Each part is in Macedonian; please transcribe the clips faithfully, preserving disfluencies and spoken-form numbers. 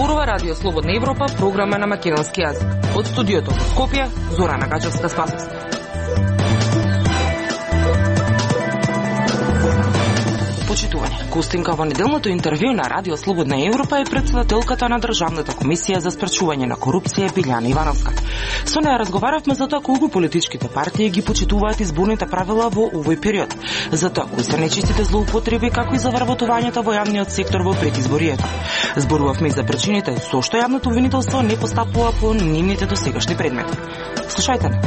зборува Радио Слободна Европа, програма на македонски јазик. Од студиото во Скопје, Зорана Гачевска-Спасовска. Почитување. Гостинка во неделното интервју на Радио Слободна Европа е претседателката на Државната комисија за спречување на корупција Билјана Ивановска. Со неја разговаравме за тоа колку политичките партии ги почитуваат изборните правила во овој период, за тоа кои се нечистите злоупотреби, како и за вработувањето во јавниот сектор во предизборието. Зборувавме и за причините со што јавното обвинителство не постапува по нивните досегашни предмети. Слушајте не.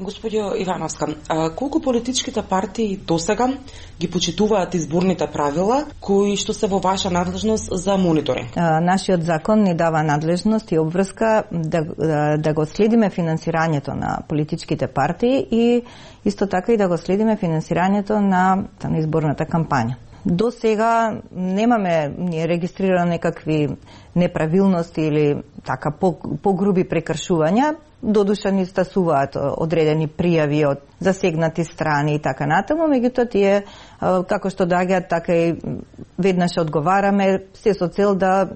Господјо Ивановска, а колку политичките партии досега ги почитуваат изборните правила кои што се во ваша надлежност за мониторинг? А, нашиот закон ни дава надлежност и обврска да, да, да го следиме финансирањето на политичките партии и исто така и да го следиме финансирањето на, на изборната кампања. До сега немаме ние регистрирано некакви неправилности или така по, погруби прекршувања. Додуша ни стасуваат одредени пријави од засегнати страни и така натаму, меѓутоа тие како што доаѓаат така и веднаш одговараме, се со цел да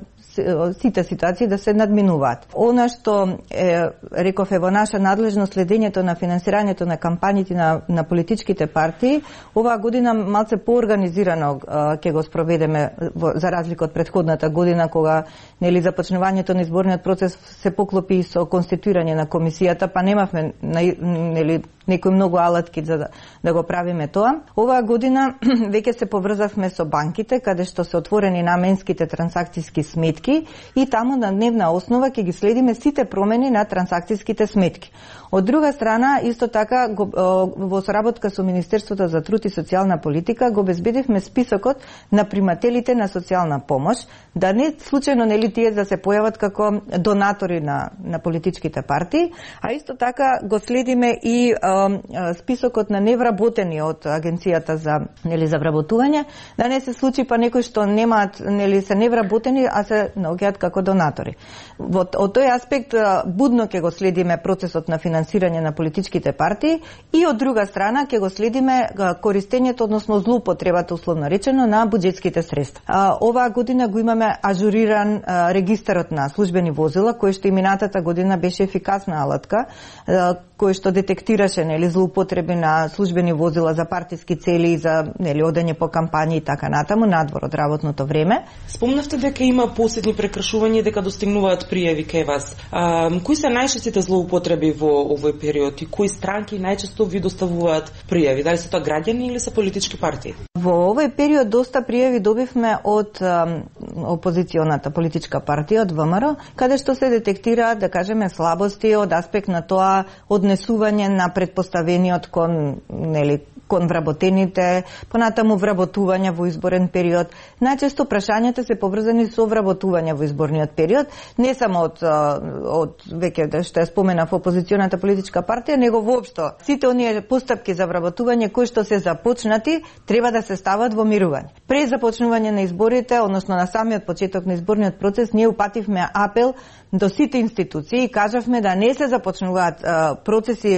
сите ситуации да се надминуваат. Она што е, реков е во наша надлежност следењето на финансирањето на кампањите на, на политичките партии, оваа година малце поорганизирано ќе го спроведеме во, за разлика од претходната година кога нели започнувањето на изборниот процес се поклопи со конституирање на комисијата, па немавме нели некои многу алатки за да, да го правиме тоа. Оваа година веќе се поврзавме со банките, каде што се отворени наменските трансакцијски сметки и таму на дневна основа ќе ги следиме сите промени на трансакцијските сметки. Од друга страна, исто така, го, во соработка со Министерството за труд и социјална политика, го обезбедивме списокот на примателите на социјална помош, да не случајно нели тие да се појават како донатори на, на политичките партии, а исто така го следиме и а, списокот на невработени од Агенцијата за нели за вработување, да не се случи па некои што немаат нели се невработени, а се наоѓаат како донатори. Во од тој аспект будно ќе го следиме процесот на финансирање на политичките партии и од друга страна ќе го следиме користењето, односно злоупотребата условно речено на буџетските средства. А, оваа година го имаме ажуриран а, регистарот на службени возила, кој што и минатата година беше ефикасна алатка, а, кој што детектираше нели злоупотреби на службени возила за партиски цели и за нели одење по кампањи и така натаму надвор од работното време. Спомнавте дека има посетни прекршувања и дека достигнуваат пријави кај вас. А, кои се најчестите злоупотреби во овој период и кои странки најчесто ви доставуваат пријави? Дали се тоа граѓани или се политички партии? Во овој период доста пријави добивме од а, опозиционата политичка партија, од ВМРО, каде што се детектираат, да кажеме, слабости од аспект на тоа однесување на предпоставениот кон нели кон вработените, понатаму вработување во изборен период. Најчесто прашањата се поврзани со вработување во изборниот период, не само од од веќе што ја споменав опозиционата политичка партија, него воопшто сите оние постапки за вработување кои што се започнати треба да се стават во мирување. Пред започнување на изборите, односно на самиот почеток на изборниот процес, ние упативме апел до сите институции и кажавме да не се започнуваат а, процеси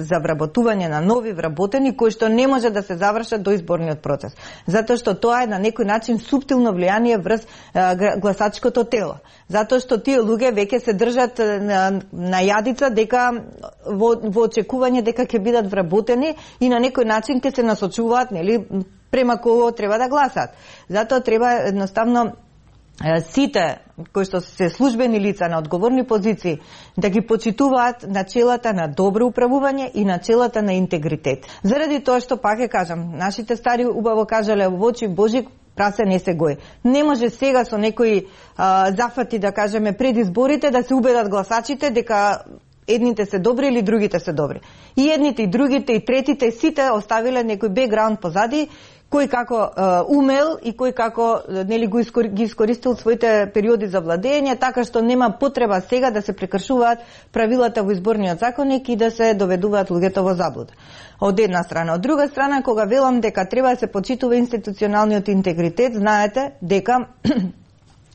за вработување на нови вработени кои што не може да се завршат до изборниот процес. Затоа што тоа е на некој начин суптилно влијание врз а, гласачкото тело. Затоа што тие луѓе веќе се држат на, на јадица дека во, во очекување дека ќе бидат вработени и на некој начин ќе се насочуваат нели према кого треба да гласат. Затоа треба едноставно сите кои што се службени лица на одговорни позиции да ги почитуваат начелата на добро управување и начелата на интегритет. Заради тоа што пак ќе кажам, нашите стари убаво кажале во очи Божи прасе не се гои. Не може сега со некои а, зафати, да кажеме, пред изборите да се убедат гласачите дека едните се добри или другите се добри. И едните, и другите, и третите, сите оставиле некој бекграунд позади, кој како е, умел и кој како нели го искор, ги искористил своите периоди за владење, така што нема потреба сега да се прекршуваат правилата во изборниот законник и да се доведуваат луѓето во заблуда. Од една страна, од друга страна, кога велам дека треба да се почитува институционалниот интегритет, знаете дека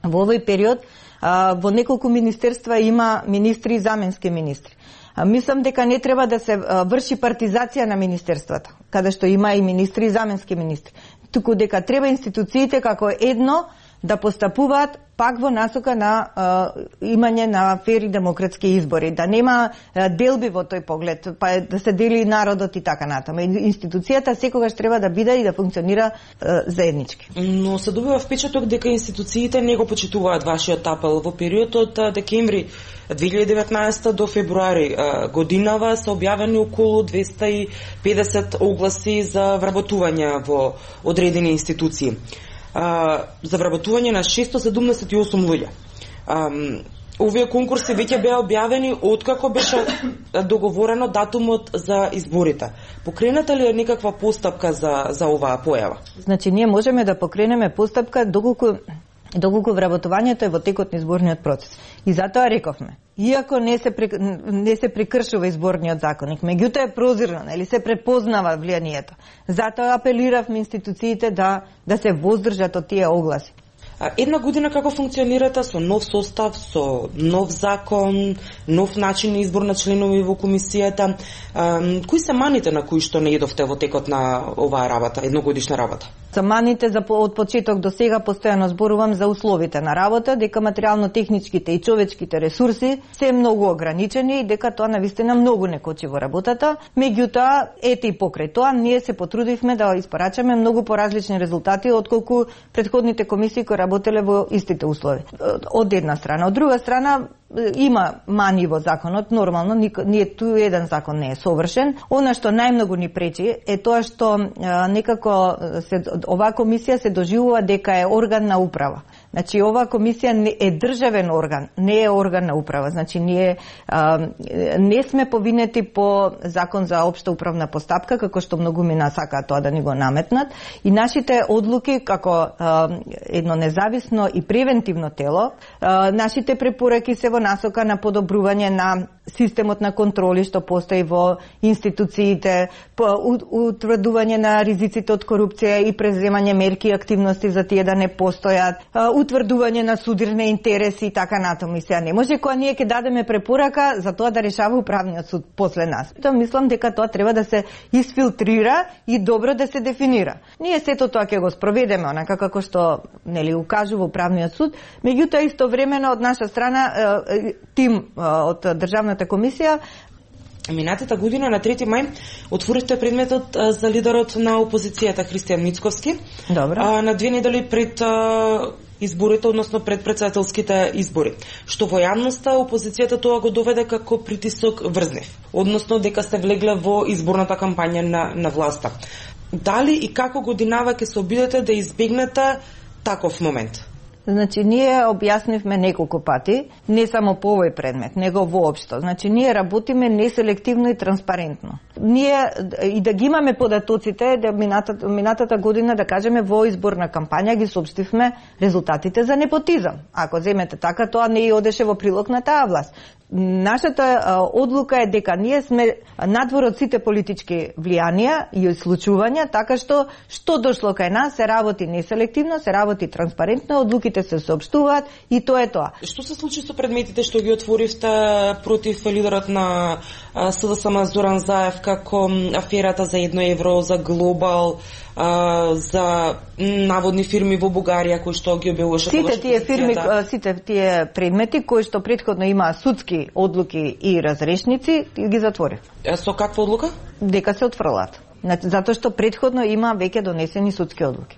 во овој период а, во неколку министерства има министри и заменски министри. А, мислам дека не треба да се а, врши партизација на министерствата. каде што има и министри и заменски министри, туку дека треба институциите како едно да постапуваат пак во насока на а, имање на фер и демократски избори, да нема а, делби во тој поглед, па да се дели народот и така натаму. Институцијата секогаш треба да биде и да функционира а, заеднички. Но се добива впечаток дека институциите не го почитуваат вашиот апел. Во период од декември две илјади и деветнаесета до февруари годинава се објавени околу двеста и педесет огласи за вработување во одредени институции. Uh, за вработување на шестоста седумдесет и осум луѓе. Um, овие конкурси веќе беа објавени откако беше договорено датумот за изборите. Покрената ли е некаква постапка за, за оваа појава? Значи, ние можеме да покренеме постапка доколку доколку вработувањето е во текот на изборниот процес. И затоа рековме, иако не се не се прекршува изборниот законник, меѓутоа е прозирно, или се препознава влијанието. Затоа апелиравме институциите да да се воздржат од тие огласи. Една година како функционирате со нов состав, со нов закон, нов начин на избор на членови во комисијата. Кои се маните на кои што не идовте во текот на оваа работа, едногодишна работа? За маните за од почеток до сега постојано зборувам за условите на работа, дека материјално-техничките и човечките ресурси се многу ограничени и дека тоа навистина многу не кочи во работата. Меѓутоа, ете и покрај тоа, ние се потрудивме да испорачаме многу поразлични резултати отколку претходните комисии кои работеле во истите услови. Од една страна. Од друга страна, има мани во законот, нормално, ние ту еден закон не е совршен. Она што најмногу ни пречи е тоа што а, некако се, оваа комисија се доживува дека е орган на управа. Значи, оваа комисија не е државен орган, не е орган на управа. Значи, ние а, не сме повинети по закон за општа управна постапка, како што многу мина сакаат тоа да ни го наметнат. И нашите одлуки, како а, едно независно и превентивно тело, а, нашите препораки се во насока на подобрување на системот на контроли што постои во институциите, утврдување на ризиците од корупција и преземање мерки и активности за тие да не постојат, утврдување на судирни интереси и така натаму. И сега не може кога ние ќе дадеме препорака за тоа да решава управниот суд после нас. Тоа мислам дека тоа треба да се изфилтрира и добро да се дефинира. Ние сето тоа ќе го спроведеме онака како што нели укажува управниот суд, меѓутоа истовремено од наша страна тим од државната комисија. Минатата година на трети мај отворивте предметот за лидерот на опозицијата Христијан Мицковски. Добро. На две недели пред изборите, односно пред претседателските избори, што во јавноста опозицијата тоа го доведе како притисок врз нив, односно дека сте влегле во изборната кампања на, на власта. Дали и како годинава ќе се обидете да избегнете таков момент? Значи, ние објаснивме неколку пати, не само по овој предмет, него воопшто. Значи, ние работиме неселективно и транспарентно. Ние, и да ги имаме податоците, да минатата, минатата година, да кажеме, во изборна кампања ги соопштивме резултатите за непотизам. Ако земете така, тоа не и одеше во прилог на таа власт. Нашата а, одлука е дека ние сме надвор од сите политички влијанија и случувања, така што што дошло кај нас се работи неселективно, се работи транспарентно, одлуките се соопштуваат и тоа е тоа. Што се случи со предметите што ги отворивте против лидерот на СДСМ Зоран Заев, како аферата за едно евро, за Глобал, а, за наводни фирми во Бугарија кои што ги објавуваше? Сите тие фирми, сите тие предмети кои што претходно имаа судски одлуки и разрешници, ги затворив. Со каква одлука? Дека се отфрлат. Затоа што претходно има веќе донесени судски одлуки.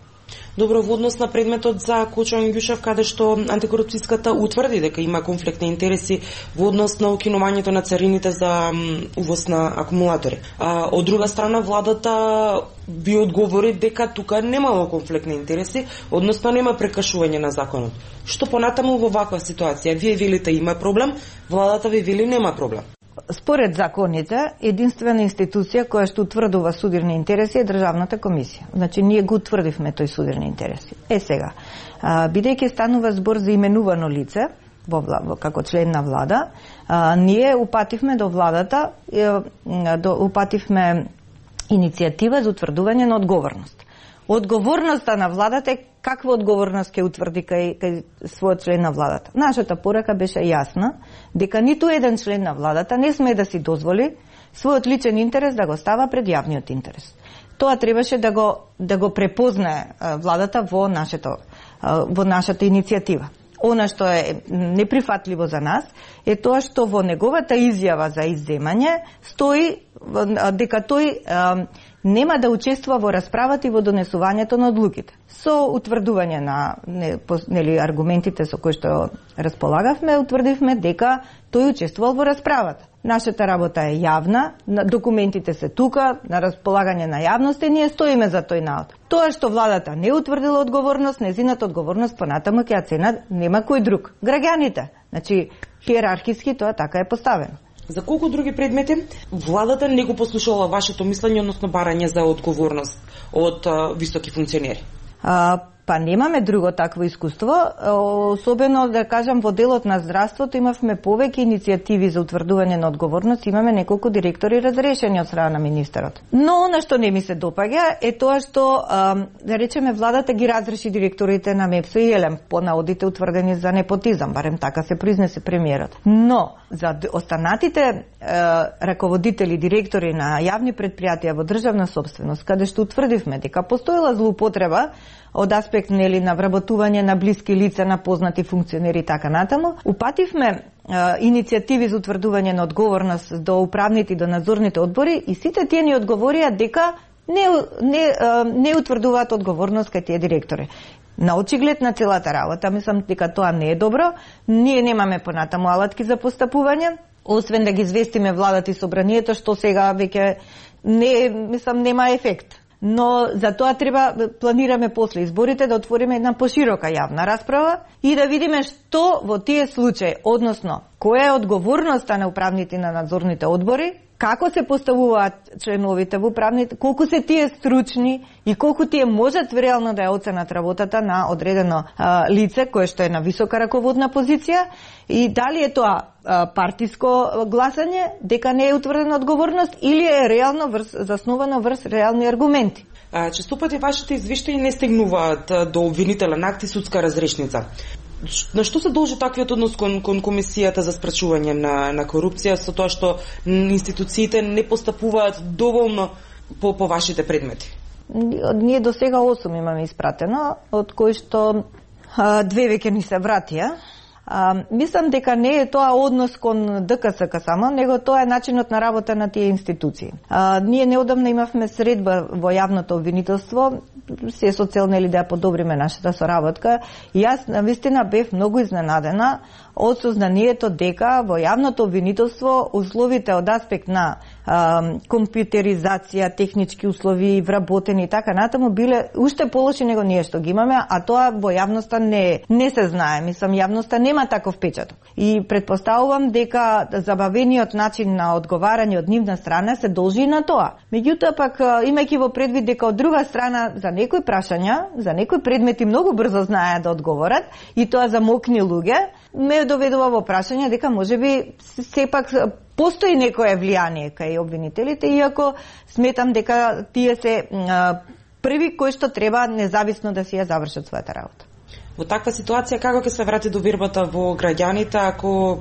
Добро, во однос на предметот за Кочо Ангјушев, каде што антикорупцијската утврди дека има конфликт на интереси во однос на укинувањето на царините за увоз на акумулатори. А, од друга страна, владата ви одговори дека тука немало конфликт на интереси, односно нема прекршување на законот. Што понатаму во ваква ситуација? Вие велите има проблем, владата ви вели нема проблем. Според законите, единствена институција која што утврдува судирни интереси е државната комисија. Значи, ние го утврдивме тој судирни интереси. Е сега, бидејќи станува збор за именувано лице, во, во, како член на влада, а, ние упативме до владата, до, упативме иницијатива за утврдување на одговорност. Одговорноста на владата е каква одговорност ќе утврди кај, кај својот член на владата. Нашата порака беше јасна, дека ниту еден член на владата не сме да си дозволи својот личен интерес да го става пред јавниот интерес. Тоа требаше да го да го препознае владата во нашето во нашата иницијатива. Она што е неприфатливо за нас е тоа што во неговата изјава за изземање стои дека тој а, нема да учествува во расправата и во донесувањето на одлуките. Со утврдување на не, нели, аргументите со кои што располагавме, утврдивме дека тој учествувал во расправата. Нашата работа е јавна, документите се тука, на располагање на јавност и ние стоиме за тој наод. Тоа што владата не утврдила одговорност, незината одговорност понатаму ќе ја цена нема кој друг. Граѓаните. Значи, хиерархиски тоа така е поставено. За колку други предмети владата не го послушала вашето мислење, односно барање за одговорност од а, високи функционери? А, па немаме друго такво искуство, особено да кажам во делот на здравството имавме повеќе иницијативи за утврдување на одговорност, имаме неколку директори разрешени од страна на министерот. Но она што не ми се допаѓа е тоа што да речеме владата ги разреши директорите на МЕПСО и ЕЛЕМ по наодите утврдени за непотизам, барем така се произнесе премиерот. Но за останатите е, раководители, директори на јавни предпријатија во државна собственост, каде што утврдивме дека постоела злоупотреба од аспект нели на вработување на блиски лица, на познати функционери и така натаму, упативме е, иницијативи за утврдување на одговорност до управните и до надзорните одбори и сите тие ни одговорија дека не не не утврдуваат одговорност кај тие директори. На очиглед на целата работа, мислам дека тоа не е добро. Ние немаме понатаму алатки за постапување, освен да ги известиме владата и собранието што сега веќе не мислам нема ефект. Но за тоа треба планираме после изборите да отвориме една поширока јавна расправа и да видиме што во тие случаи, односно која е одговорноста на управните и на надзорните одбори, како се поставуваат членовите во управните, колку се тие стручни и колку тие можат реално да ја оценат работата на одредено а, лице кое што е на висока раководна позиција и дали е тоа а, партиско гласање, дека не е утврдена одговорност или е реално врз, заснувано врз реални аргументи. Често пати вашите извештаи не стигнуваат до обвинителен акт и судска разрешница. На што се должи таквиот однос кон, кон Комисијата за спречување на, на корупција со тоа што институциите не постапуваат доволно по, по вашите предмети? Ние до сега осум имаме испратено, од кои што а, две веќе ни се вратија. А, мислам дека не е тоа однос кон ДКСК само, него тоа е начинот на работа на тие институции. А, ние неодамна имавме средба во јавното обвинителство, се со цел нели да ја подобриме нашата соработка. И јас навистина бев многу изненадена од сознанието дека во јавното обвинителство условите од аспект на а, компјутеризација, технички услови, вработени и така натаму биле уште полоши него ние што ги имаме, а тоа во јавноста не не се знае. Мислам јавноста нема таков печаток. И претпоставувам дека забавениот начин на одговарање од нивна страна се должи на тоа. Меѓутоа пак имајќи во предвид дека од друга страна за некои прашања, за некои предмети многу брзо знаеат да одговорат и тоа за мокни луѓе, ме доведува во прашање дека можеби сепак постои некое влијание кај обвинителите, иако сметам дека тие се а, први кои што треба независно да си ја завршат својата работа. Во таква ситуација како ќе се врати довербата во граѓаните ако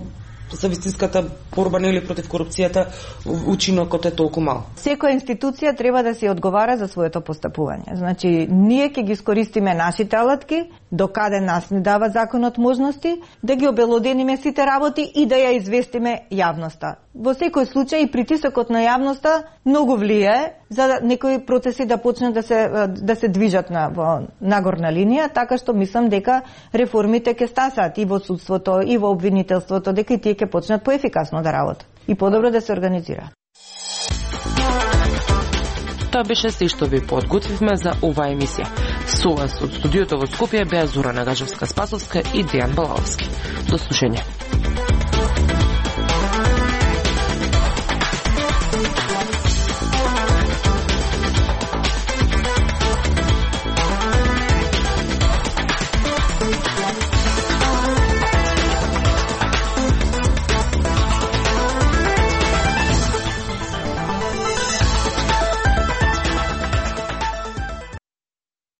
за вистинската борба нели против корупцијата учинокот е толку мал? Секоја институција треба да си одговара за своето постапување. Значи, ние ќе ги искористиме нашите алатки, до каде нас ни дава законот можности, да ги обелодениме сите работи и да ја известиме јавноста. Во секој случај притисокот на јавноста многу влијае за некои процеси да почнат да се да се движат на во нагорна линија, така што мислам дека реформите ќе стасат и во судството и во обвинителството, дека и тие ќе почнат поефикасно да работат и подобро да се организираат. Тоа беше се што ви подготвивме за оваа емисија. Со вас од студиото во Скопје беа Зора Нагажевска-Спасовска и Дејан Балаовски. До слушање.